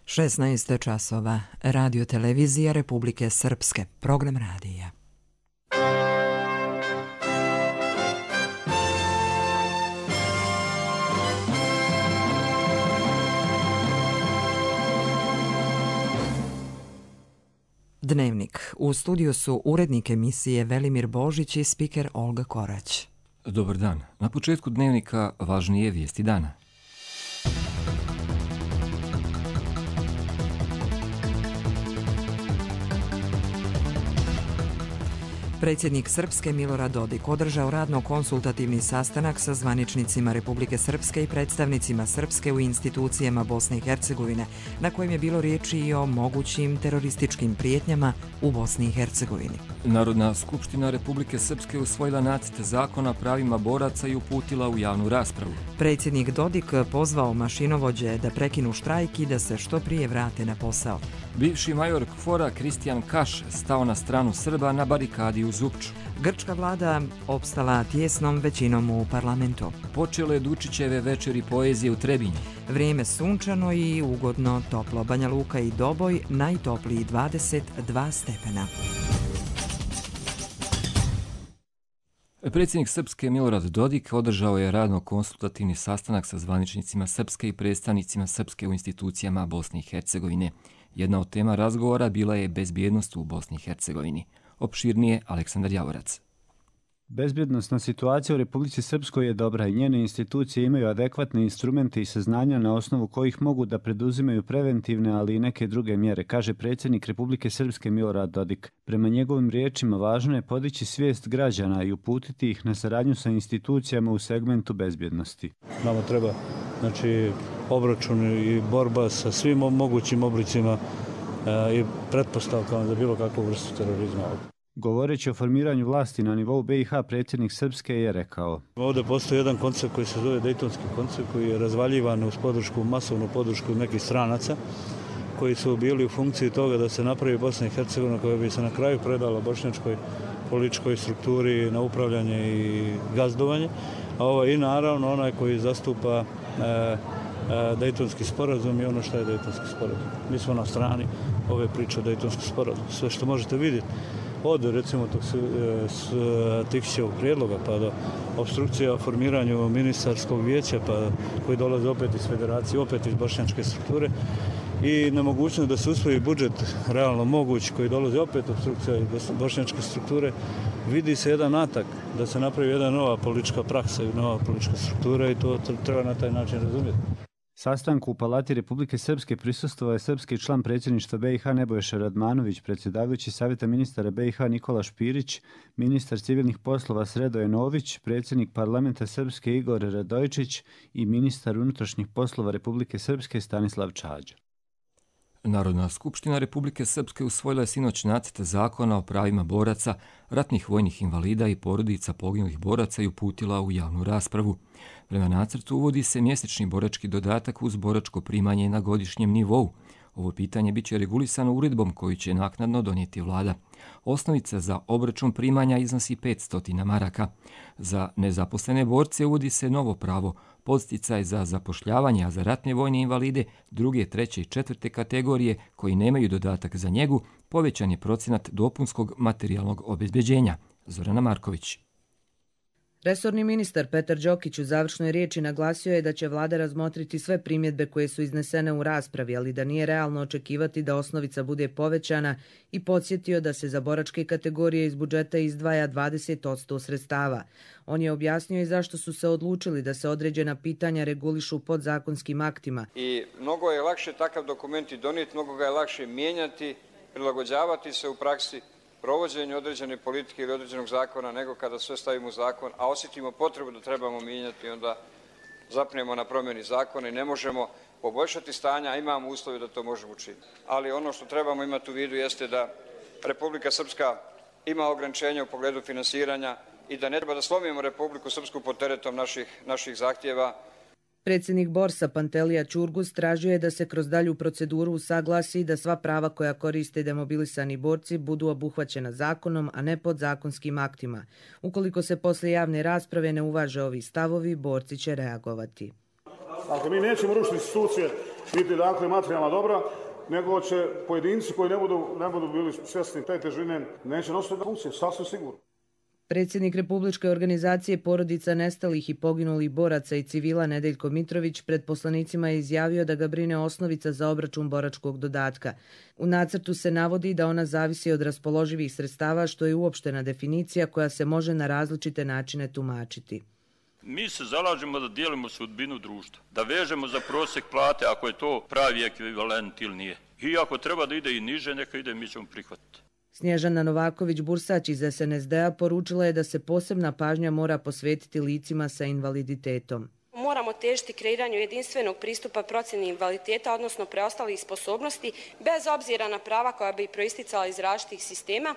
16 časova. Radio televizija Republike Srpske. Program radija. Dnevnik. U studiju su urednik emisije Velimir Božić i spiker Olga Korać. Dobar dan. Na početku dnevnika važnije vijesti dana. Predsjednik Srpske Milorad Dodik održao radno-konsultativni sastanak sa zvaničnicima Republike Srpske i predstavnicima Srpske u institucijama Bosne i Hercegovine, na kojem je bilo riječi i o mogućim terorističkim prijetnjama u Bosni i Hercegovini. Narodna skupština Republike Srpske usvojila nacrt zakona o pravima boraca i uputila u javnu raspravu. Predsjednik Dodik pozvao mašinovođe da prekinu štrajk i da se što prije vrate na posao. Bivši major KFOR-a Kristijan Kaš stao na stranu Srba na barikadi u Zupču. Grčka vlada opstala tjesnom većinom u parlamentu. Počele Dučićeve večeri poezije u Trebinju. Vrijeme sunčano i ugodno toplo. Banja Luka i Doboj najtopliji 22 stepena. Predsjednik Srpske Milorad Dodik održao je radno-konsultativni sastanak sa zvaničnicima Srpske i predstavnicima Srpske u institucijama Bosne i Hercegovine. Jedna od tema razgovora bila je bezbjednost u Bosni i Hercegovini. Opširnije Aleksandar Javorac. Bezbjednosna situacija u Republici Srpskoj je dobra i njene institucije imaju adekvatne instrumente i saznanja na osnovu kojih mogu da preduzimaju preventivne, ali i neke druge mjere, kaže predsjednik Republike Srpske Milorad Dodik. Prema njegovim riječima važno je podići svijest građana i uputiti ih na saradnju sa institucijama u segmentu bezbjednosti. Nama treba obračun i borba sa svim mogućim oblicima i pretpostavkama za bilo kakvu vrstu terorizma. Govoreći o formiranju vlasti na nivou BiH, predsjednik Srpske je rekao: Ovdje postoji jedan koncept koji se zove Dejtonski koncept, koji je razvaljivan uz masovnu podršku nekih stranaca koji su bili u funkciji toga da se napravi Bosna i Hercegovina koja bi se na kraju predala bošnjačkoj političkoj strukturi na upravljanje i gazdovanje, i naravno onaj koji zastupa Dejtonski sporazum i ono što je Dejtonski sporazum. Mi smo na strani ove priče o Dejtonskom sporazumu. Sve što možete vidjeti od recimo tog Tihićevog prijedloga pa do obstrukcija o formiranju ministarskog vijeća koji dolaze opet iz federacije, opet iz bošnjačke strukture i nemogućnost da se usvoji budžet realno moguć koji dolazi opet obstrukcija iz bošnjačke strukture, vidi se jedan atak da se napravi jedna nova politička praksa i nova politička struktura i to treba na taj način razumjeti. Sastanku u Palati Republike Srpske prisustvovao je srpski član predsjedništva BiH Nebojša Radmanović, predsjedavajući Savjeta ministara BiH Nikola Špirić, ministar civilnih poslova Sredoje Nović, predsjednik parlamenta Srpske Igor Radojčić i ministar unutrašnjih poslova Republike Srpske Stanislav Čađa. Narodna skupština Republike Srpske usvojila je sinoć nacrt zakona o pravima boraca, ratnih vojnih invalida i porodica poginulih boraca i uputila u javnu raspravu. Prema nacrtu uvodi se mjesečni borački dodatak uz boračko primanje na godišnjem nivou. Ovo pitanje biće regulisano uredbom koju će naknadno donijeti vlada. Osnovica za obračun primanja iznosi 500 maraka. Za nezaposlene borce uvodi se novo pravo, podsticaj za zapošljavanje, a za ratne vojne invalide druge, treće i četvrte kategorije koji nemaju dodatak za njegu, povećan je procenat dopunskog materijalnog obezbeđenja. Zorana Marković. Resorni ministar Petar Đokić u završnoj riječi naglasio je da će vlada razmotriti sve primjedbe koje su iznesene u raspravi, ali da nije realno očekivati da osnovica bude povećana i podsjetio da se za boračke kategorije iz budžeta izdvaja 20% sredstava. On je objasnio i zašto su se odlučili da se određena pitanja regulišu podzakonskim aktima. I mnogo je lakše takav dokument i donijeti, mnogo ga je lakše mijenjati, prilagođavati se u praksi provođenju određene politike ili određenog zakona nego kada sve stavimo u zakon, a osjetimo potrebu da trebamo mijenjati, onda zapnemo na promjeni zakona i ne možemo poboljšati stanja, a imamo uslove da to možemo učiniti. Ali ono što trebamo imati u vidu jeste da Republika Srpska ima ograničenja u pogledu finansiranja i da ne treba da slomimo Republiku Srpsku pod teretom naših zahtjeva. Predsjednik Borsa Pantelija Ćurgus tražio je da se kroz dalju proceduru usaglasi da sva prava koja koriste demobilisani borci budu obuhvaćena zakonom, a ne podzakonskim aktima. Ukoliko se posle javne rasprave ne uvaže ovi stavovi, borci će reagovati. Ako mi nećemo rušiti institucije, biti dakle materijalna dobra, nego će pojedinci koji ne budu bili svjesni te težine neće nositi funkcije, sasvim sigurno. Predsjednik Republičke organizacije porodica nestalih i poginulih boraca i civila Nedeljko Mitrović pred poslanicima je izjavio da ga brine osnovica za obračun boračkog dodatka. U nacrtu se navodi da ona zavisi od raspoloživih sredstava, što je uopštena definicija koja se može na različite načine tumačiti. Mi se zalažemo da dijelimo sudbinu društva, da vežemo za prosjek plate ako je to pravi ekvivalent ili nije. I ako treba da ide i niže, neka ide, mi ćemo prihvatiti. Snježana Novaković-Bursać iz SNSD-a poručila je da se posebna pažnja mora posvetiti licima sa invaliditetom. Moramo težiti kreiranju jedinstvenog pristupa procjeni invaliditeta, odnosno preostalih sposobnosti, bez obzira na prava koja bi proisticala iz različitih sistema.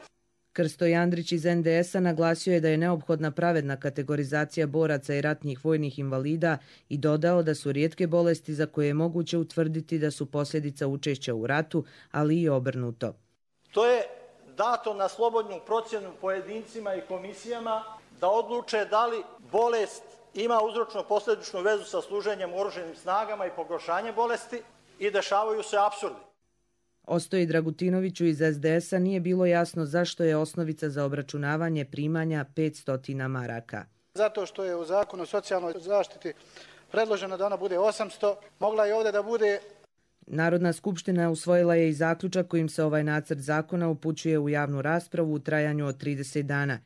Krsto Jandrić iz NDS-a naglasio je da je neophodna pravedna kategorizacija boraca i ratnih vojnih invalida i dodao da su rijetke bolesti za koje je moguće utvrditi da su posljedica učešća u ratu, ali i obrnuto. To je dato na slobodnu procjenu pojedincima i komisijama da odluče da li bolest ima uzročno-posljedičnu vezu sa služenjem u oružanim snagama i pogoršanje bolesti i dešavaju se apsurdi. Ostoji Dragutinoviću iz SDS-a nije bilo jasno zašto je osnovica za obračunavanje primanja 500 maraka. Zato što je u Zakonu o socijalnoj zaštiti predloženo da ona bude 800, mogla je ovdje da bude... Narodna skupština usvojila je i zaključak kojim se ovaj nacrt zakona upućuje u javnu raspravu u trajanju od 30 dana.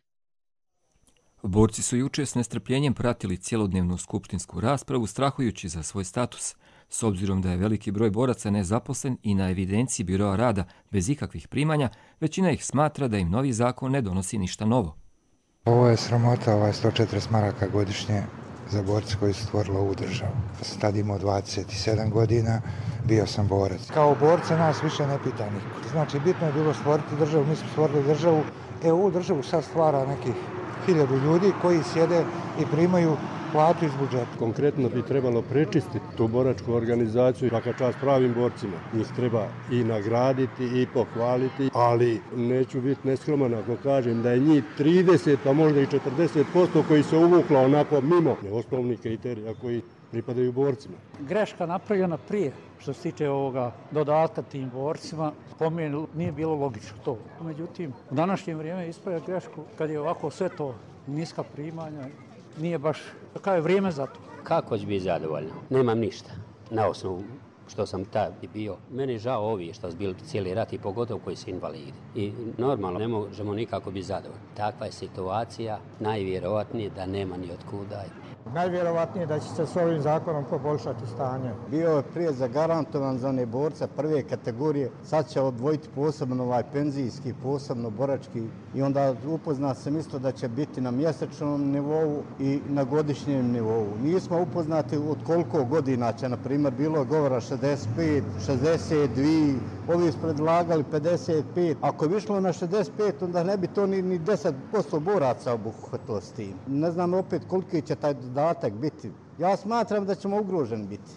Borci su jučer s nestrpljenjem pratili cjelodnevnu skupštinsku raspravu, strahujući za svoj status. S obzirom da je veliki broj boraca nezaposlen i na evidenciji biroa rada bez ikakvih primanja, većina ih smatra da im novi zakon ne donosi ništa novo. Ovo je sramota, 140 maraka godišnje za borce koji su stvorili ovu državu. Sam tad imao 27 godina, bio sam borac. Kao borca nas više ne pita niko. Znači, bitno je bilo stvoriti državu, mi smo stvorili državu. Ovu državu sad stvara nekih 1000 ljudi koji sjede i primaju platu iz budžeta. Konkretno bi trebalo prečistiti tu boračku organizaciju, svaka čast pravim borcima. Njih treba i nagraditi i pohvaliti, ali neću biti neskroman ako kažem da je njih 30, a možda i 40% koji se uvukla onako mimo osnovnih kriterija koji pripadaju borcima. Greška napravljena prije što se tiče ovoga dodatka tim borcima, po meni nije bilo logično to. Međutim, u današnje vrijeme ispravlja grešku kad je ovako sve to niska primanja, nije baš kako je vrijeme za to. Kako će biti zadovoljno? Nemam ništa. Na osnovu što sam tad bio. Meni je žao ovi što su bili cijeli rat i pogotovo koji su invalidi. I normalno ne možemo nikako biti zadovoljni. Takva je situacija, najvjerovatnije da nema ni otkuda. Najvjerovatnije da će se s ovim zakonom poboljšati stanje. Bio je prije zagarantovan za one borce prve kategorije, sad će odvojiti posebno penzijski, posebno borački i onda upozna sam isto da će biti na mjesečnom nivou i na godišnjem nivou. Nismo upoznati od koliko godina će, na primjer, bilo govora 65, 62, ovi su predlagali 55. Ako bi išlo na 65, onda ne bi to ni 10% boraca obuhvatilo s tim. Ne znam opet koliki će taj dodatak biti. Ja smatram da ćemo ugroženi biti.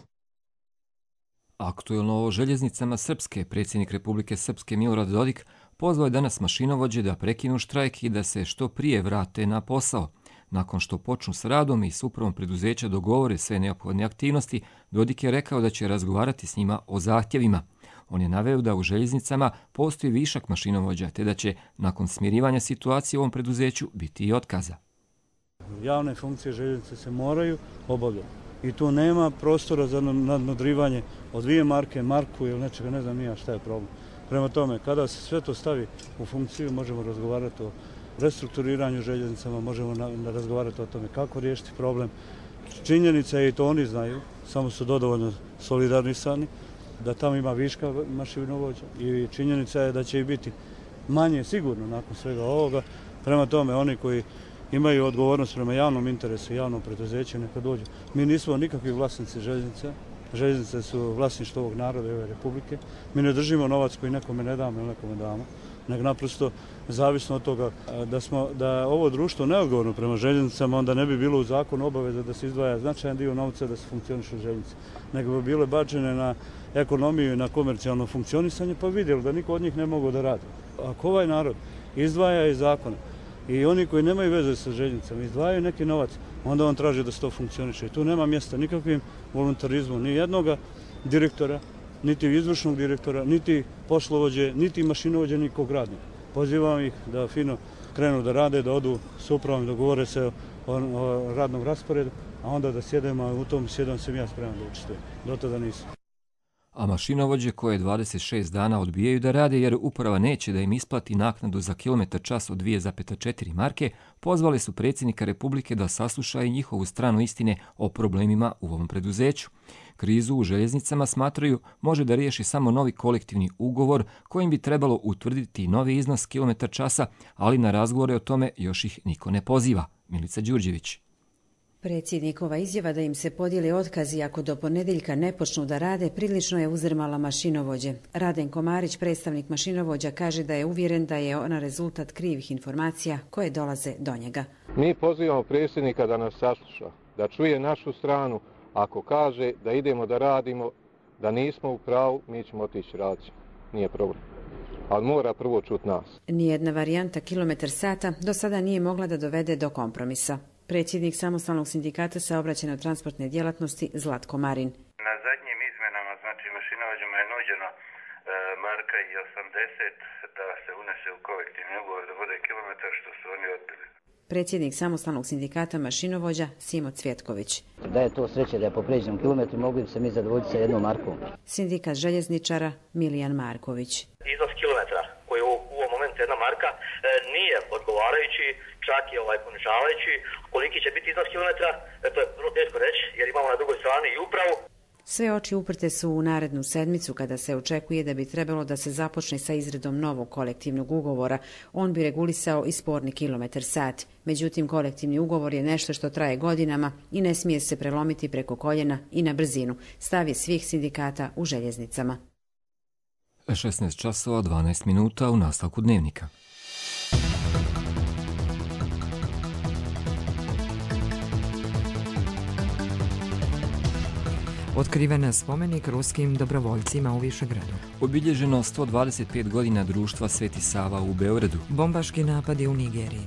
Aktuelno o željeznicama Srpske, predsjednik Republike Srpske Milorad Dodik pozvao je danas mašinovođe da prekinu štrajk i da se što prije vrate na posao. Nakon što počnu s radom i s upravom preduzeća dogovore sve neophodne aktivnosti, Dodik je rekao da će razgovarati s njima o zahtjevima. On je naveo da u željeznicama postoji višak mašinovođa, te da će nakon smirivanja situacije u ovom preduzeću biti i otkaza. Javne funkcije željeznice se moraju obavljati i tu nema prostora za nadmudrivanje od 2 marke, marku ili nečega, ne znam nija šta je problem. Prema tome, kada se sve to stavi u funkciju, možemo razgovarati o restrukturiranju željeznicama, možemo razgovarati o tome kako riješiti problem. Činjenica je, i to oni znaju, samo su dovoljno solidarnisani, da tamo ima viška mašinovođa i činjenica je da će i biti manje sigurno nakon svega ovoga. Prema tome, oni koji imaju odgovornost prema javnom interesu i javnom preduzeću, neka dođu. Mi nismo nikakvi vlasnici željeznice. Željeznice su vlasništvo ovog naroda i ove republike. Mi ne držimo novac koji nekome ne damo ili nekome damo, nego naprosto zavisno od toga da ovo društvo neodgovorno prema željeznicama, onda ne bi bilo u zakonu obaveza da se izdvaja značajan dio novca da se funkcioniše željeznice, nego bi bile bačene na ekonomiju i na komercijalno funkcionisanje, pa vidjeli da niko od njih ne mogu da radi. Ako ovaj narod izdvaja iz zakona i oni koji nemaju veze sa željeznicama izdvajaju neki novac, onda on traži da se to funkcioniše. I tu nema mjesta nikakvim voluntarizmu, ni jednoga, direktora, niti izvršnog direktora, niti poslovođe, niti mašinovođe, nikog radnika. Pozivam ih da fino krenu da rade, da odu s upravom, dogovore se o radnom rasporedu, a onda da sjedemo, a u tom sjedom sam ja spreman da učestvujem. Do tada nisam. A mašinovođe koje 26 dana odbijaju da rade jer uprava neće da im isplati naknadu za kilometar čas od 2,4 marke, pozvali su predsjednika Republike da sasluša i njihovu stranu istine o problemima u ovom preduzeću. Krizu u željeznicama, smatraju, može da riješi samo novi kolektivni ugovor kojim bi trebalo utvrditi novi iznos kilometar časa, ali na razgovore o tome još ih niko ne poziva. Milica Đurđević. Predsjednikova izjava da im se podijeli otkazi ako do ponedjeljka ne počnu da rade prilično je uzdrmala mašinovođe. Radenko Marić, predstavnik mašinovođa, kaže da je uvjeren da je ona rezultat krivih informacija koje dolaze do njega. Mi pozivamo predsjednika da nas sasluša, da čuje našu stranu. Ako kaže da idemo da radimo, da nismo u pravu, mi ćemo otići raditi. Nije problem. Ali mora prvo čuti nas. Nijedna varijanta kilometar sata do sada nije mogla da dovede do kompromisa. Predsjednik samostalnog sindikata saobraćajno-transportne djelatnosti Zlatko Marin. Na zadnjim izmenama, znači mašinovođama je nuđeno marka i 80 da se unese u kolektivni ugovor da bude kilometar, što su oni odbili. Predsjednik samostalnog sindikata mašinovođa Simo Cvjetković. Da je to sreće da je po pređenom kilometru mogli bi se mi zadovoljiti sa jednom markom. Sindikat željezničara Milijan Marković. Iznos kilometra koji je u ovom momentu jedna marka nije odgovarajući, čak i ponižavajući. Koliki će biti iznos kilometra, to je vrlo teško reći jer imamo na drugoj strani i upravu. Sve oči uprte su u narednu sedmicu kada se očekuje da bi trebalo da se započne sa izradom novog kolektivnog ugovora. On bi regulisao i sporni kilometar sat. Međutim, kolektivni ugovor je nešto što traje godinama i ne smije se prelomiti preko koljena i na brzinu. Stav je svih sindikata u željeznicama. 16 časova 12 minuta u nastavku dnevnika. Otkriven spomenik ruskim dobrovoljcima u Višegradu. Obilježeno 125 godina društva Sveti Sava u Beogradu. Bombaški napadi u Nigeriji.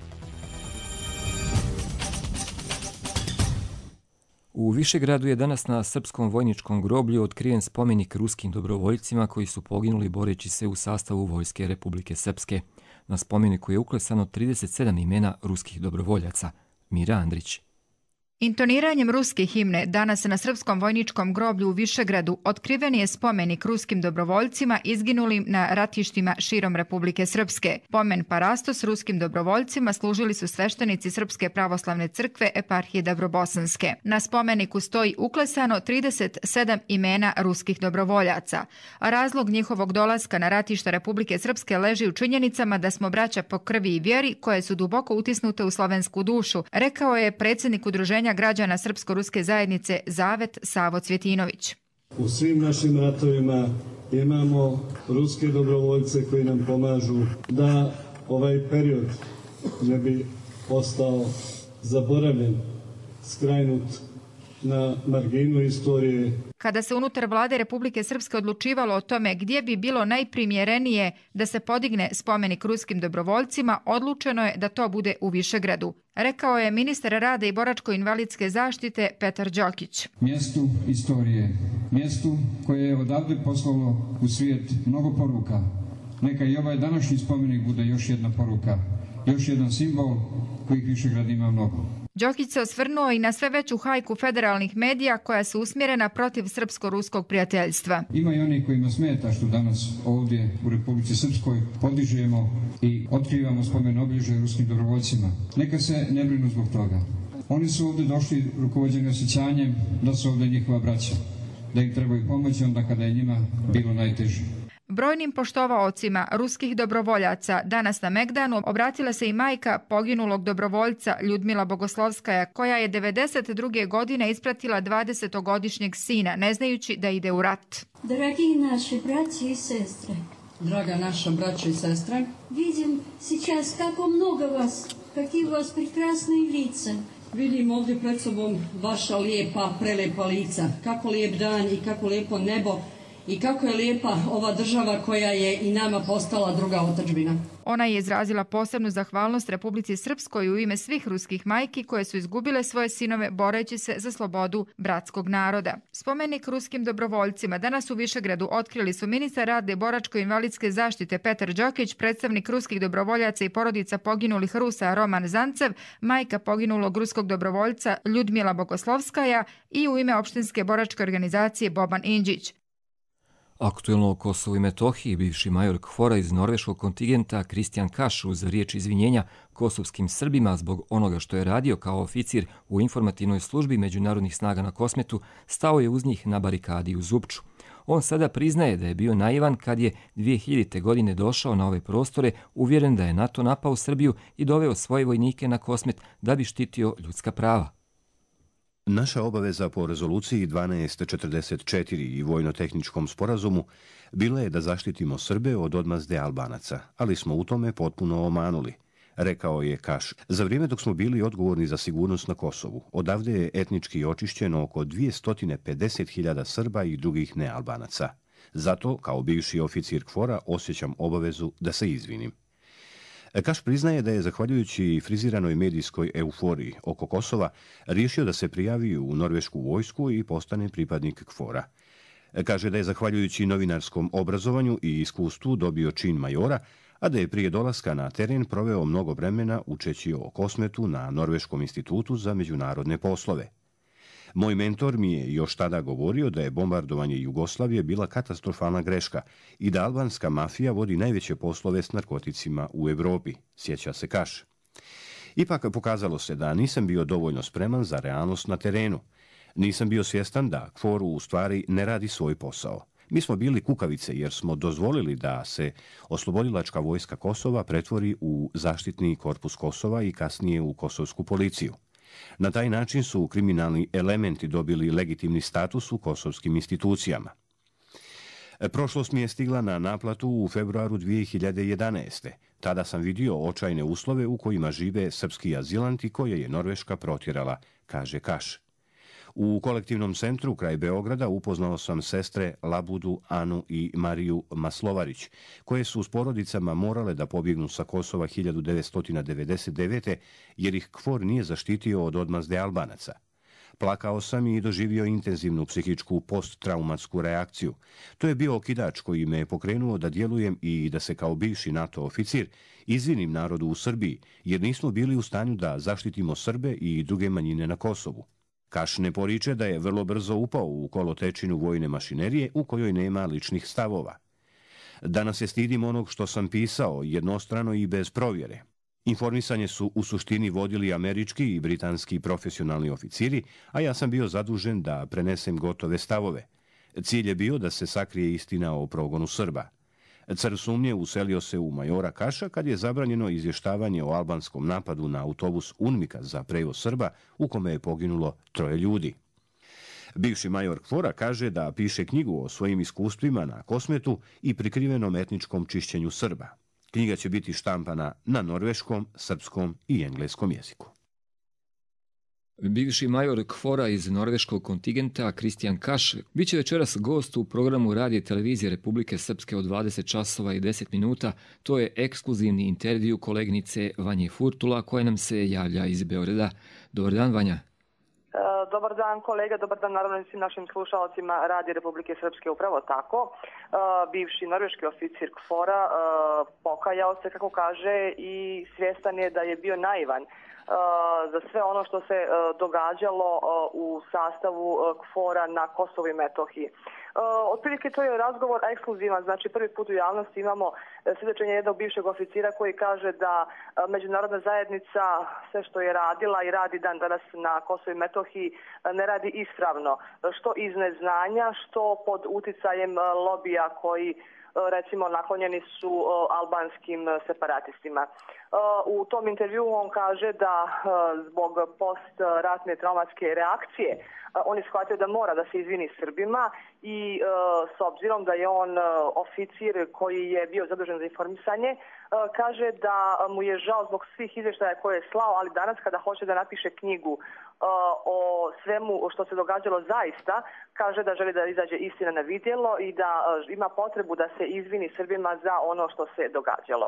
U Višegradu je danas na srpskom vojničkom groblju otkriven spomenik ruskim dobrovoljcima koji su poginuli boreći se u sastavu Vojske Republike Srpske. Na spomeniku je uklesano 37 imena ruskih dobrovoljaca. Mira Andrić. Intoniranjem ruske himne danas na srpskom vojničkom groblju u Višegradu otkriven je spomenik ruskim dobrovoljcima izginulim na ratištima širom Republike Srpske. Pomen parastos ruskim dobrovoljcima služili su sveštenici Srpske pravoslavne crkve eparhije Dabrobosanske. Na spomeniku stoji uklesano 37 imena ruskih dobrovoljaca. A razlog njihovog dolaska na ratišta Republike Srpske leži u činjenicama da smo braća po krvi i vjeri koje su duboko utisnute u slovensku dušu, rekao je predsjednik udruženja građana Srpsko-ruske zajednice Zavet Savo Cvjetinović. U svim našim ratovima imamo ruske dobrovoljce koji nam pomažu da ovaj period ne bi ostao zaboravljen, skrajnut na marginu istorije. Kada se unutar vlade Republike Srpske odlučivalo o tome gdje bi bilo najprimjerenije da se podigne spomenik ruskim dobrovoljcima, odlučeno je da to bude u Višegradu, rekao je ministar rada i boračko-invalidske zaštite Petar Đokić. Mjestu istorije, mjestu koje je odavde poslalo u svijet mnogo poruka. Neka i ovaj današnji spomenik bude još jedna poruka, još jedan simbol kojih Višegrad ima mnogo. Đokić se osvrnuo i na sve veću hajku federalnih medija koja su usmjerena protiv srpsko-ruskog prijateljstva. Ima i oni kojima smeta što danas ovdje u Republici Srpskoj podižemo i otkrivamo spomen obilježja ruskim dobrovoljcima. Neka se ne brinu zbog toga. Oni su ovdje došli rukovođeni osjećanjem da su ovdje njihova braća, da im trebaju pomoći onda kada je njima bilo najteže. Brojnim poštovaocima ruskih dobrovoljaca danas na Megdanu obratila se i majka poginulog dobrovoljca Ljudmila Bogoslovskaja, koja je 1992. godine ispratila 20-godišnjeg sina, ne znajući da ide u rat. Dragi naši braći i sestre, draga naša braća i sestre, vidim сейчас kako mnogo vas, kakvi vas prekrasni lica. Vidim ovdje pred sobom vaša lijepa, prelepa lica, kako lijep dan i kako lijepo nebo i kako je lijepa ova država koja je i nama postala druga otadžbina. Ona je izrazila posebnu zahvalnost Republici Srpskoj u ime svih ruskih majki koje su izgubile svoje sinove boreći se za slobodu bratskog naroda. Spomenik ruskim dobrovoljcima danas u Višegradu otkrili su ministar rada i boračko-invalidske zaštite Petar Đokić, predstavnik ruskih dobrovoljaca i porodica poginulih Rusa Roman Zancev, majka poginulog ruskog dobrovoljca Ljudmila Bogoslovskaja i u ime opštinske boračke organizacije Boban Indžić. Aktuelno o Kosovu i Metohiji bivši major KFOR-a iz norveškog kontingenta Kristijan Kaš uz riječ izvinjenja kosovskim Srbima zbog onoga što je radio kao oficir u informativnoj službi međunarodnih snaga na Kosmetu stao je uz njih na barikadi u Zupču. On sada priznaje da je bio naivan kad je 2000. godine došao na ove prostore uvjeren da je NATO napao Srbiju i doveo svoje vojnike na Kosmet da bi štitio ljudska prava. Naša obaveza po rezoluciji 1244 i vojno-tehničkom sporazumu bila je da zaštitimo Srbe od odmazde Albanaca, ali smo u tome potpuno omanuli, rekao je Kaš. Za vrijeme dok smo bili odgovorni za sigurnost na Kosovu, odavde je etnički očišćeno oko 250.000 Srba i drugih nealbanaca. Zato, kao bivši oficir KFOR-a, osjećam obavezu da se izvinim. Kaš priznaje da je, zahvaljujući friziranoj medijskoj euforiji oko Kosova, riješio da se prijavi u norvešku vojsku i postane pripadnik KFOR-a. Kaže da je, zahvaljujući novinarskom obrazovanju i iskustvu, dobio čin majora, a da je prije dolaska na teren proveo mnogo vremena učeći o Kosmetu na Norveškom institutu za međunarodne poslove. Moj mentor mi je još tada govorio da je bombardovanje Jugoslavije bila katastrofalna greška i da albanska mafija vodi najveće poslove s narkoticima u Europi, sjeća se Kaš. Ipak pokazalo se da nisam bio dovoljno spreman za realnost na terenu. Nisam bio svjestan da KFOR u stvari ne radi svoj posao. Mi smo bili kukavice jer smo dozvolili da se oslobodilačka vojska Kosova pretvori u zaštitni korpus Kosova i kasnije u kosovsku policiju. Na taj način su kriminalni elementi dobili legitimni status u kosovskim institucijama. Prošlost mi je stigla na naplatu u februaru 2011. Tada sam vidio očajne uslove u kojima žive srpski azilanti koje je Norveška protjerala, kaže Kaš. U kolektivnom centru kraj Beograda upoznao sam sestre Labudu, Anu i Mariju Maslovarić, koje su s porodicama morale da pobjegnu sa Kosova 1999. jer ih KFOR nije zaštitio od odmazde Albanaca. Plakao sam i doživio intenzivnu psihičku posttraumatsku reakciju. To je bio okidač koji me je pokrenuo da djelujem i da se kao bivši NATO oficir izvinim narodu u Srbiji, jer nismo bili u stanju da zaštitimo Srbe i druge manjine na Kosovu. Kaš ne poriče da je vrlo brzo upao u kolotečinu vojne mašinerije u kojoj nema ličnih stavova. Danas se stidim onog što sam pisao jednostrano i bez provjere. Informisanje su u suštini vodili američki i britanski profesionalni oficiri, a ja sam bio zadužen da prenesem gotove stavove. Cilj je bio da se sakrije istina o progonu Srba. Car sumnje uselio se u majora Kaša kad je zabranjeno izvještavanje o albanskom napadu na autobus UNMIK-a za prevoz Srba u kome je poginulo 3 ljudi. Bivši major KFOR-a kaže da piše knjigu o svojim iskustvima na Kosmetu i prikrivenom etničkom čišćenju Srba. Knjiga će biti štampana na norveškom, srpskom i engleskom jeziku. Bivši major KFOR-a iz norveškog kontingenta Kristijan Kaš bit će večeras gost u programu radija i televizije Republike Srpske od 20 časova i 10 minuta. To je ekskluzivni intervju kolegnice Vanje Furtula koja nam se javlja iz Beograda. Dobar dan, Vanja. Dobar dan kolega, dobar dan naravno i svim našim slušalcima Radija Republike Srpske, upravo tako. Bivši norveški oficir KFOR-a pokajao se, kako kaže, i svjestan je da je bio naivan za sve ono što se događalo u sastavu KFOR-a na Kosovu i Metohiji. Otprilike to je razgovor ekskluzivan, znači prvi put u javnosti imamo svjedočenje jednog bivšeg oficira koji kaže da međunarodna zajednica sve što je radila i radi dan danas na Kosovu i Metohiji ne radi ispravno, što iz neznanja, što pod uticajem lobija koji recimo naklonjeni su albanskim separatistima. U tom intervju on kaže da zbog postratne traumatske reakcije on je shvatio da mora da se izvini Srbima i s obzirom da je on oficir koji je bio zadužen za informisanje, kaže da mu je žao zbog svih izvještaja koje je slao, ali danas kada hoće da napiše knjigu o svemu što se događalo zaista, kaže da želi da izađe istina na vidjelo i da ima potrebu da se izvini Srbima za ono što se događalo.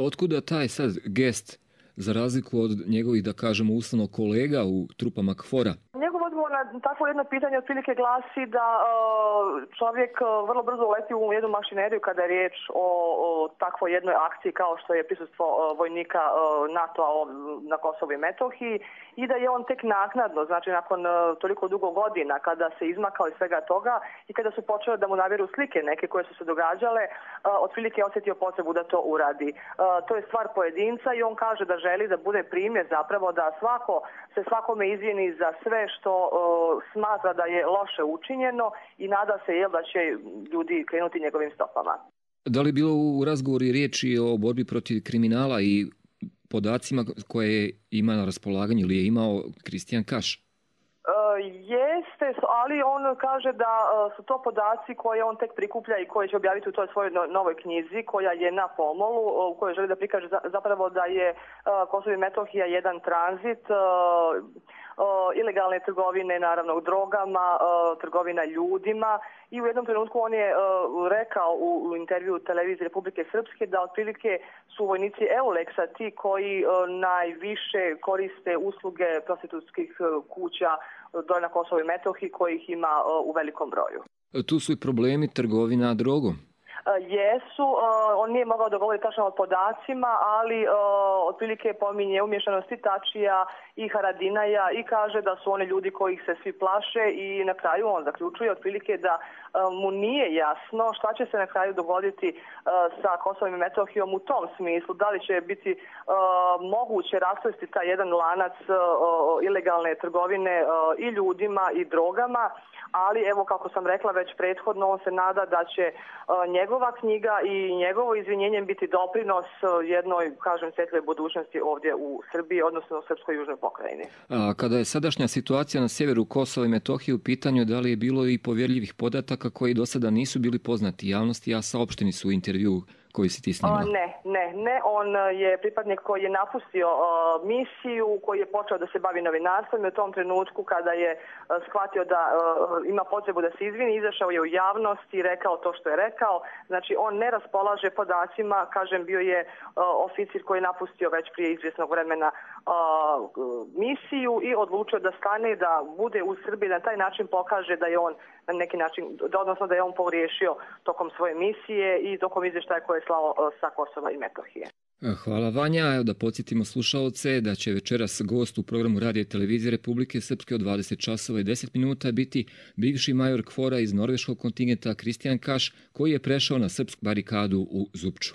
Otkuda taj sad gest, za razliku od njegovih, da kažemo, uslovno kolega u trupama KFOR-a? Njegov odgovor na takvo jedno pitanje otprilike glasi da čovjek vrlo brzo uleti u jednu mašineriju kada je riječ o takvoj jednoj akciji kao što je prisustvo vojnika NATO-a na Kosovu i Metohiji i da je on tek naknadno, znači nakon toliko dugo godina kada se izmakao iz svega toga i kada su počele da mu navjeru slike neke koje su se događale, otprilike je osjetio potrebu da to uradi. To je stvar pojedinca i on kaže da želi da bude primjer zapravo da se svakome izvini za sve što smatra da je loše učinjeno i nada se da će ljudi krenuti njegovim stopama. Da li je bilo u razgovoru riječi o borbi protiv kriminala i podacima koje ima na raspolaganju ili je imao Kristijan Kaš? Jeste, ali on kaže da su to podaci koje on tek prikuplja i koje će objaviti u toj svojoj novoj knjizi koja je na pomolu, u kojoj želi da prikaže zapravo da je Kosovo i Metohija jedan tranzit ilegalne trgovine, naravno drogama, trgovina ljudima i u jednom trenutku on je rekao u intervju televizije Republike Srpske da otprilike su vojnici Eulexa ti koji najviše koriste usluge prostitutskih kuća dole na Kosovo i Metohiji kojih ima u velikom broju. Tu su i problemi trgovina drogom. Jesu, on nije mogao dogovoriti tačno o podacima, ali otprilike pominje umješanosti Tačija i Haradinaja i kaže da su oni ljudi kojih se svi plaše i na kraju on zaključuje otprilike da mu nije jasno šta će se na kraju dogoditi sa Kosovom i Metohijom u tom smislu. Da li će biti moguće rasplesti taj jedan lanac ilegalne trgovine i ljudima i drogama, ali evo kako sam rekla već prethodno, on se nada da će njegova knjiga i njegovo izvinjenje biti doprinos jednoj, kažem, svjetloj budućnosti ovdje u Srbiji, odnosno u Srpskoj južnoj pokrajini. A kada je sadašnja situacija na sjeveru Kosova i Metohije u pitanju, da li je bilo i povjerljivih podataka koji do sada nisu bili poznati javnosti, a saopšteni su u intervju koji si ti snimala? Ne. On je pripadnik koji je napustio misiju, koji je počeo da se bavi novinarstvom i u tom trenutku kada je shvatio da ima potrebu da se izvini, izašao je u javnost i rekao to što je rekao. Znači on ne raspolaže podacima, kažem, bio je oficir koji je napustio već prije izvjesnog vremena misiju i odlučio da stane, da bude u Srbiji, da na taj način pokaže da je on na neki način, odnosno da je on pogriješio tokom svoje misije i tokom izvještaja koje je slao sa Kosova i Metohije. Hvala Vanja. Evo da podsjetimo slušaoce da će večeras gost u programu Radija i televizije Republike Srpske od 20 časova i 10 minuta biti bivši major KFOR-a iz norveškog kontingenta Kristijan Kaš, koji je prešao na srpsku barikadu u Zupču.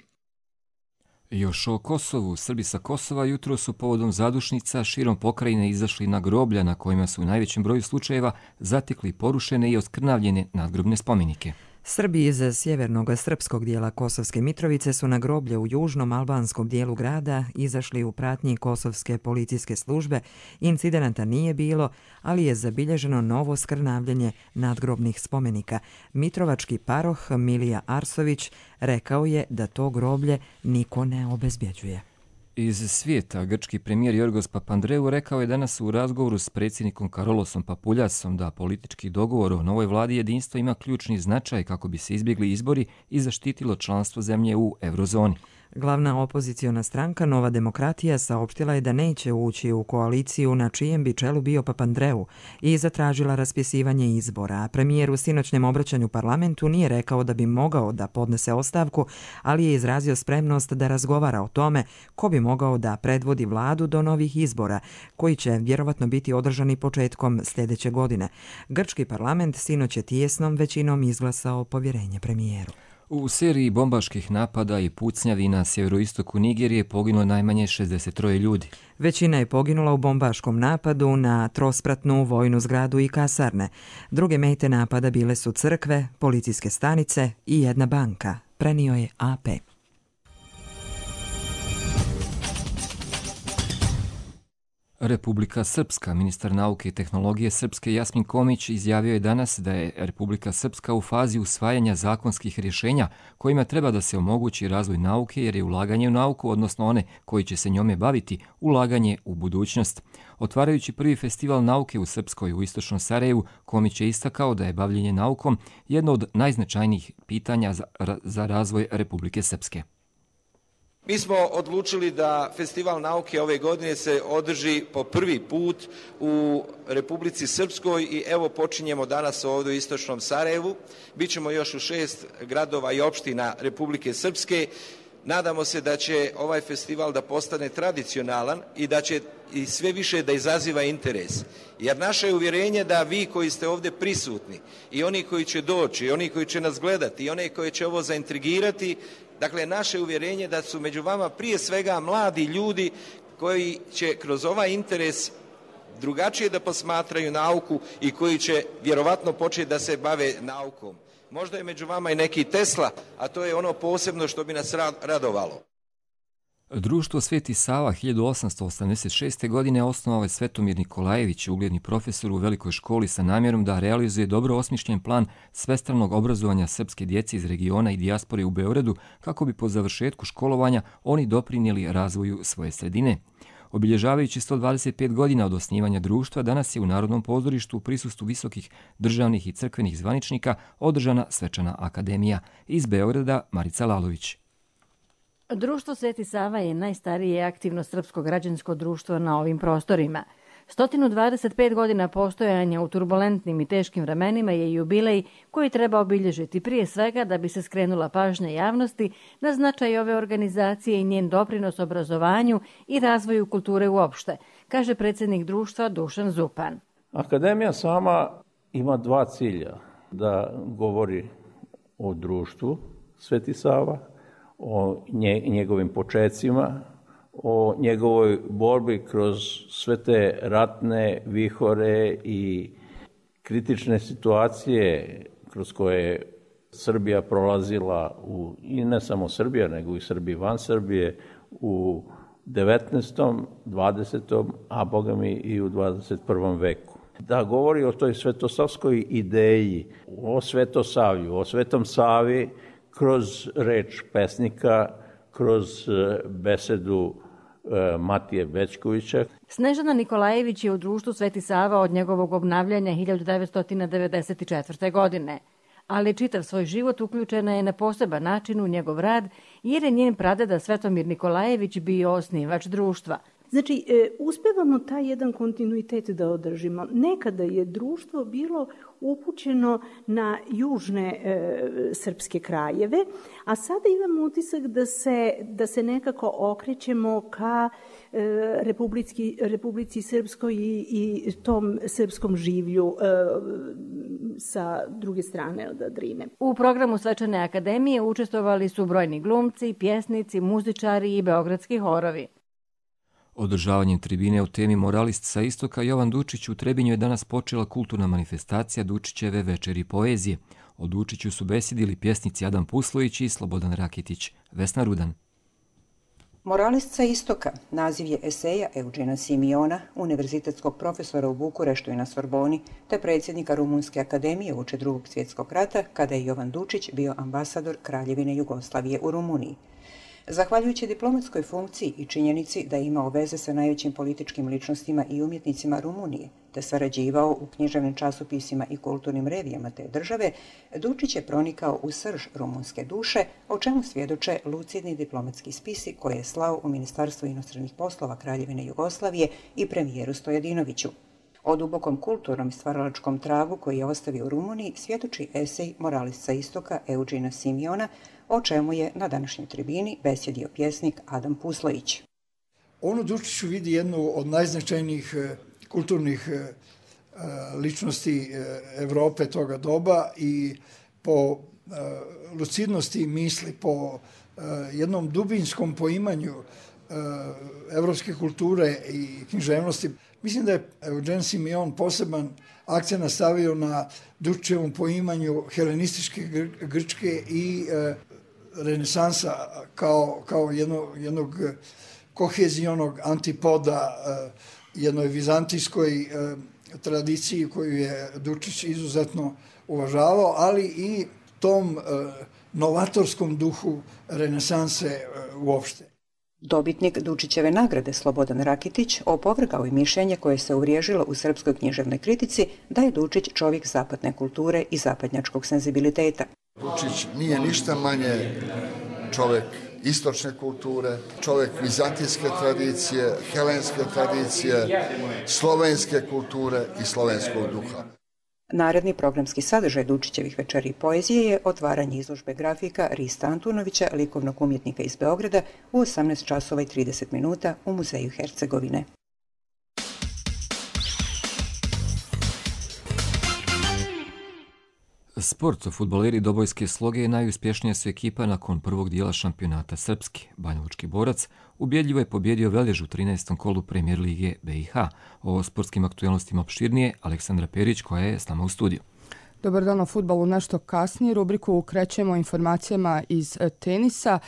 Još o Kosovu. Srbi sa Kosova jutro su povodom zadušnica širom pokrajine izašli na groblja na kojima su u najvećem broju slučajeva zatekli porušene i oskrnavljene nadgrobne spomenike. Srbi iz sjevernog srpskog dijela Kosovske Mitrovice su na groblje u južnom albanskom dijelu grada izašli u pratnji kosovske policijske službe. Incidenata nije bilo, ali je zabilježeno novo skrnavljenje nadgrobnih spomenika. Mitrovački paroh Milija Arsović rekao je da to groblje niko ne obezbjeđuje. Iz svijeta, grčki premijer Jorgos Papandreou rekao je danas u razgovoru s predsjednikom Karolosom Papuljasom da politički dogovor o novoj vladi jedinstva ima ključni značaj kako bi se izbjegli izbori i zaštitilo članstvo zemlje u eurozoni. Glavna opoziciona stranka Nova demokratija saopštila je da neće ući u koaliciju na čijem bi čelu bio Papandreou i zatražila raspisivanje izbora. A premijer u sinoćnjem obraćanju parlamentu nije rekao da bi mogao da podnese ostavku, ali je izrazio spremnost da razgovara o tome ko bi mogao da predvodi vladu do novih izbora, koji će vjerovatno biti održani početkom sljedeće godine. Grčki parlament sinoć je tijesnom većinom izglasao povjerenje premijeru. U seriji bombaških napada i pucnjavi na sjeveroistoku Nigerije poginulo najmanje 63 ljudi. Većina je poginula u bombaškom napadu na trospratnu vojnu zgradu i kasarne. Druge mete napada bile su crkve, policijske stanice i jedna banka, prenio je AP. Republika Srpska. Ministar nauke i tehnologije Srpske Jasmin Komić izjavio je danas da je Republika Srpska u fazi usvajanja zakonskih rješenja kojima treba da se omogući razvoj nauke jer je ulaganje u nauku, odnosno one koji će se njome baviti, ulaganje u budućnost. Otvarajući prvi festival nauke u Srpskoj u istočnom Sarajevu, Komić je istakao da je bavljenje naukom jedno od najznačajnijih pitanja za razvoj Republike Srpske. Mi smo odlučili da Festival nauke ove godine se održi po prvi put u Republici Srpskoj i evo počinjemo danas ovdje u istočnom Sarajevu. Bićemo još u 6 gradova i opština Republike Srpske. Nadamo se da će ovaj festival da postane tradicionalan i da će i sve više da izaziva interes. Jer naše je uvjerenje da vi koji ste ovdje prisutni i oni koji će doći, i oni koji će nas gledati, i oni koji će ovo zaintrigirati, dakle, naše uvjerenje da su među vama prije svega mladi ljudi koji će kroz ovaj interes drugačije da posmatraju nauku i koji će vjerovatno početi da se bave naukom. Možda je među vama i neki Tesla, a to je ono posebno što bi nas radovalo. Društvo Sveti Sava 1886. godine osnovao je Svetomir Nikolajević, ugledni profesor u velikoj školi sa namjerom da realizuje dobro osmišljen plan svestranog obrazovanja srpske djece iz regiona i dijaspore u Beogradu kako bi po završetku školovanja oni doprinijeli razvoju svoje sredine. Obilježavajući 125 godina od osnivanja društva, danas je u Narodnom pozorištu u prisustvu visokih državnih i crkvenih zvaničnika održana svečana akademija. Iz Beograda Marica Lalović. Društvo Sveti Sava je najstarije aktivno srpsko građansko društvo na ovim prostorima. 125 godina postojanja u turbulentnim i teškim vremenima je jubilej koji treba obilježiti prije svega da bi se skrenula pažnja javnosti na značaj ove organizacije i njen doprinos obrazovanju i razvoju kulture uopšte, kaže predsjednik društva Dušan Zupan. Akademija sama ima dva cilja, da govori o društvu Sveti Sava, o njegovim počecima, o njegovoj borbi kroz sve te ratne vihore i kritične situacije kroz koje je Srbija prolazila, i ne samo Srbija, nego i Srbi van Srbije, u 19., 20., a bogami i u 21. veku. Da govori o toj svetosavskoj ideji, o Svetosavlju, o Svetom Savi, kroz reč pesnika, kroz besedu Matije Bećkovića. Snežana Nikolajević je u društvu Sveti Sava od njegovog obnavljanja 1994. godine, ali čitav svoj život uključena je na poseban način u njegov rad jer je njen pradeda Svetomir Nikolajević bio osnivač društva. Znači, uspevamo taj jedan kontinuitet da održimo. Nekada je društvo bilo upućeno na južne srpske krajeve, a sada imamo utisak da se nekako okrećemo ka Republici Srpskoj i tom srpskom življu sa druge strane od Drine. U programu Svečane akademije učestvovali su brojni glumci, pjesnici, muzičari i beogradski horovi. Održavanjem tribine o temi Moralist sa istoka Jovan Dučić u Trebinju je danas počela kulturna manifestacija Dučićeve večeri poezije. O Dučiću su besedili pjesnici Adam Puslović i Slobodan Rakitić. Vesna Rudan. Moralist sa istoka naziv je eseja Eugena Simiona, univerzitetskog profesora u Bukureštu i na Sorboni, te predsjednika Rumunske akademije uoči Drugog svjetskog rata, kada je Jovan Dučić bio ambasador Kraljevine Jugoslavije u Rumuniji. Zahvaljujući diplomatskoj funkciji i činjenici da je imao veze sa najvećim političkim ličnostima i umjetnicima Rumunije, te sarađivao u književnim časopisima i kulturnim revijama te države, Dučić je pronikao u srž rumunske duše, o čemu svjedoče lucidni diplomatski spisi koje je slao u Ministarstvo inostranih poslova Kraljevine Jugoslavije i premijeru Stojadinoviću. O dubokom kulturnom i stvaralačkom tragu koji je ostavio u Rumuniji svjedoči esej Moralist sa istoka Eugena Simiona, o čemu je na današnjoj tribini besjedio pjesnik Adam Puslović. On u Dučiću vidi jednu od najznačajnijih kulturnih ličnosti Evrope toga doba i po lucidnosti misli, po jednom dubinskom poimanju evropske kulture i književnosti. Mislim da je Eugen Simion poseban akcent stavio na Dučićevom poimanju helenističke Grčke i renesansa kao jednog kohezionog antipoda jednoj vizantijskoj tradiciji koju je Dučić izuzetno uvažavao, ali i tom novatorskom duhu renesanse uopšte. Dobitnik Dučićeve nagrade Slobodan Rakitić opovrgao je mišljenje koje se uvriježilo u srpskoj književnoj kritici da je Dučić čovjek zapadne kulture i zapadnjačkog senzibiliteta. Dučić nije ništa manje čovjek istočne kulture, čovjek vizantijske tradicije, helenske tradicije, slovenske kulture i slovenskog duha. Naredni programski sadržaj Dučićevih večeri poezije je otvaranje izložbe grafika Rista Antunovića, likovnog umjetnika iz Beograda, u 18 časova i 30 minuta u Muzeju Hercegovine. Sport, fudbaleri Dobojske Sloge najuspješnija su ekipa nakon prvog dijela šampionata Srpske. Banjalučki borac ubjedljivo je pobjedio Velež u 13. kolu Premijer Lige BiH. O sportskim aktualnostima opširnije Aleksandra Perić koja je s nama u studiju. Dobar dan, o fudbalu nešto kasnije. Rubriku krećemo informacijama iz tenisa.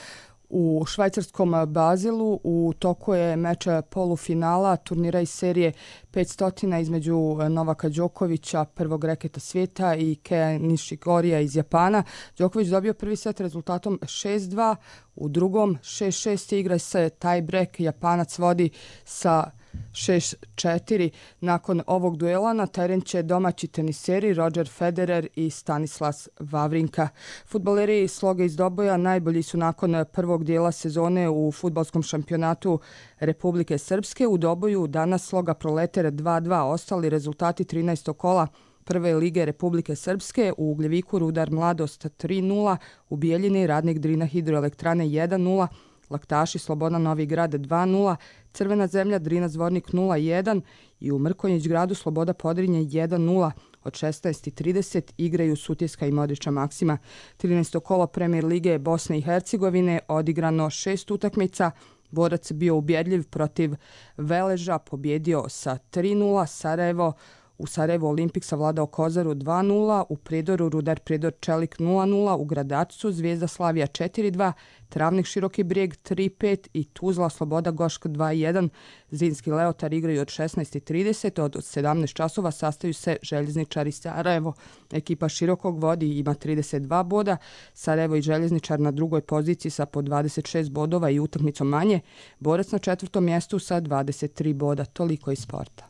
U švajcarskom Bazilu u toku je meč polufinala turnira iz serije 500 između Novaka Đokovića, prvog reketa svijeta, i Keja Nishigorija iz Japana. Đoković dobio prvi set rezultatom 6-2, u drugom 6-6 igra se tie break, Japanac vodi sa 6-4. Nakon ovog duela na teren će domaći teniseri Roger Federer i Stanislas Wawrinka. Fudbaleri Sloge iz Doboja najbolji su nakon prvog dijela sezone u fudbalskom šampionatu Republike Srpske. U Doboju danas Sloga Proleter 2-2, ostali rezultati 13. kola Prve lige Republike Srpske: u Ugljeviku Rudar Mladost 3-0, u Bijeljini Radnik Drina Hidroelektrane 1-0, Laktaši Sloboda Novi Grad 2-0, Crvena zemlja Drina Zvornik 0-1 i u Mrkonjić gradu Sloboda Podrinje 1-0. Od 16:30 igraju Sutjeska i Modriča Maksima. 13. kolo Premijer Lige Bosne i Hercegovine, odigrano 6 utakmica. Borac bio ubjedljiv protiv Veleža, pobjedio sa 3-0. U Sarajevu Olimpik savladao Kozaru 2-0, u Prijedoru Rudar Prijedor Čelik 0-0, u Gradačcu Zvijezda Slavija 4-2, Travnik Široki Brijeg 3-5 i Tuzla Sloboda Gošk 2-1. Zrinski Leotar igraju od 16:30, od 17 časova sastaju se Željezničari Sarajevo. Ekipa Širokog vodi i ima 32 boda, Sarajevo i Željezničar na drugoj poziciji sa po 26 bodova i utakmicom manje, Borac na 4. mjestu sa 23 boda. Toliko iz sporta.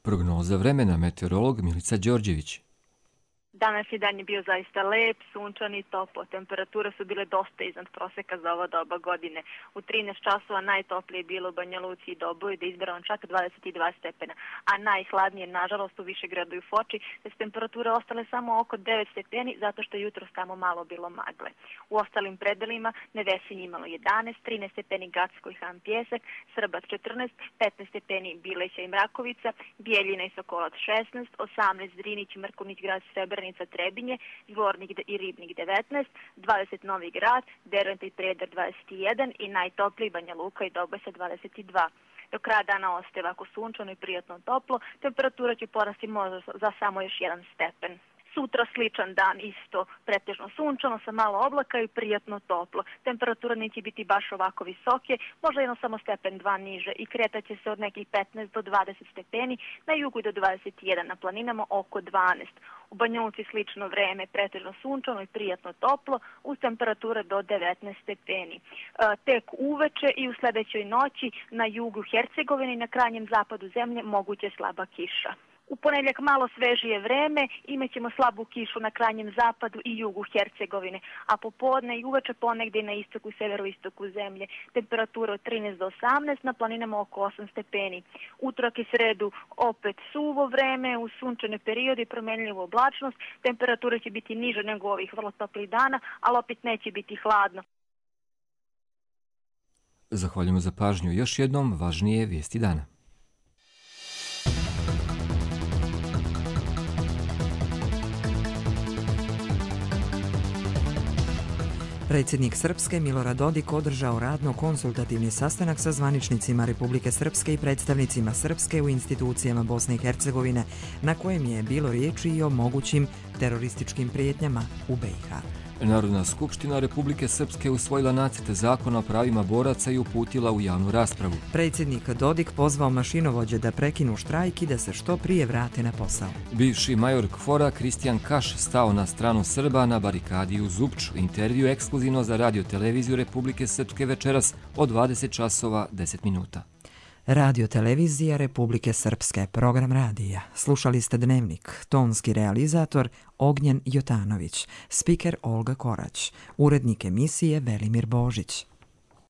Prognoza vremena, meteorolog Milica Đorđević. Danas je dan je bio zaista lep, sunčan i toplo. Temperature su bile dosta iznad proseka za ovo doba godine. U 13 časova najtoplije je bilo u Banja Luci i Doboju, da je izbrano čak 22 stepena, a najhladnije, nažalost, u Višegradu i Foči, da su temperature ostale samo oko 9 stepeni, zato što je jutros tamo malo bilo magle. U ostalim predelima Nevesinje imalo 11, 13 stepeni Gacko i Han Pjesak, Srbac 14, 15 stepeni Bileća i Mrakovica, Bijeljina i Sokolac 16, 18 Drinić, Mrkonjić grad, Srebrnica, Trebinje, Zvornik i Ribnik 19, 20 Novi Grad, Derventa i Prijedor 21 i najtopliji Banja Luka i Doboj sa 22. Do kraja dana ostaje ovako sunčano i prijatno toplo, temperatura će porasti možda za samo još 1 stepen. Sutra sličan dan, isto pretežno sunčano sa malo oblaka i prijatno toplo. Temperatura neće biti baš ovako visoke, možda jedno samo stepen 2 niže i kretaće se od nekih 15 do 20 stepeni, na jugu do 21, na planinama oko 12. U Banja Luci slično vreme, pretežno sunčano i prijatno toplo, uz temperature do 19 stepeni. Tek uveče i u sljedećoj noći na jugu Hercegovine i na krajnjem zapadu zemlje moguće slaba kiša. U ponedjeljak malo svežije vreme, imat ćemo slabu kišu na krajnjem zapadu i jugu Hercegovine, a popodne i uveče ponegdje na istoku i severoistoku zemlje. Temperatura od 13 do 18, na planinama oko 8 stepeni. Utorak i sredu opet suvo vreme, u sunčane periode i promjenljivu oblačnost. Temperatura će biti niža nego ovih vrlo toplih dana, ali opet neće biti hladno. Zahvaljujemo za pažnju. Još jednom važnije vijesti dana. Predsjednik Srpske Milorad Dodik održao radno-konsultativni sastanak sa zvaničnicima Republike Srpske i predstavnicima Srpske u institucijama Bosne i Hercegovine, na kojem je bilo riječi i o mogućim terorističkim prijetnjama u BiH. Narodna skupština Republike Srpske usvojila nacrt zakona o pravima boraca i uputila u javnu raspravu. Predsjednik Dodik pozvao mašinovođe da prekinu štrajk i da se što prije vrate na posao. Bivši major KFOR-a Kristijan Kaš stao na stranu Srba na barikadi u Zupču. Intervju ekskluzivno za Radio-televiziju Republike Srpske večeras od 20 časova 10 minuta. Radio-televizija Republike Srpske, program radija. Slušali ste Dnevnik, tonski realizator Ognjen Jotanović, spiker Olga Korać, urednik emisije Velimir Božić.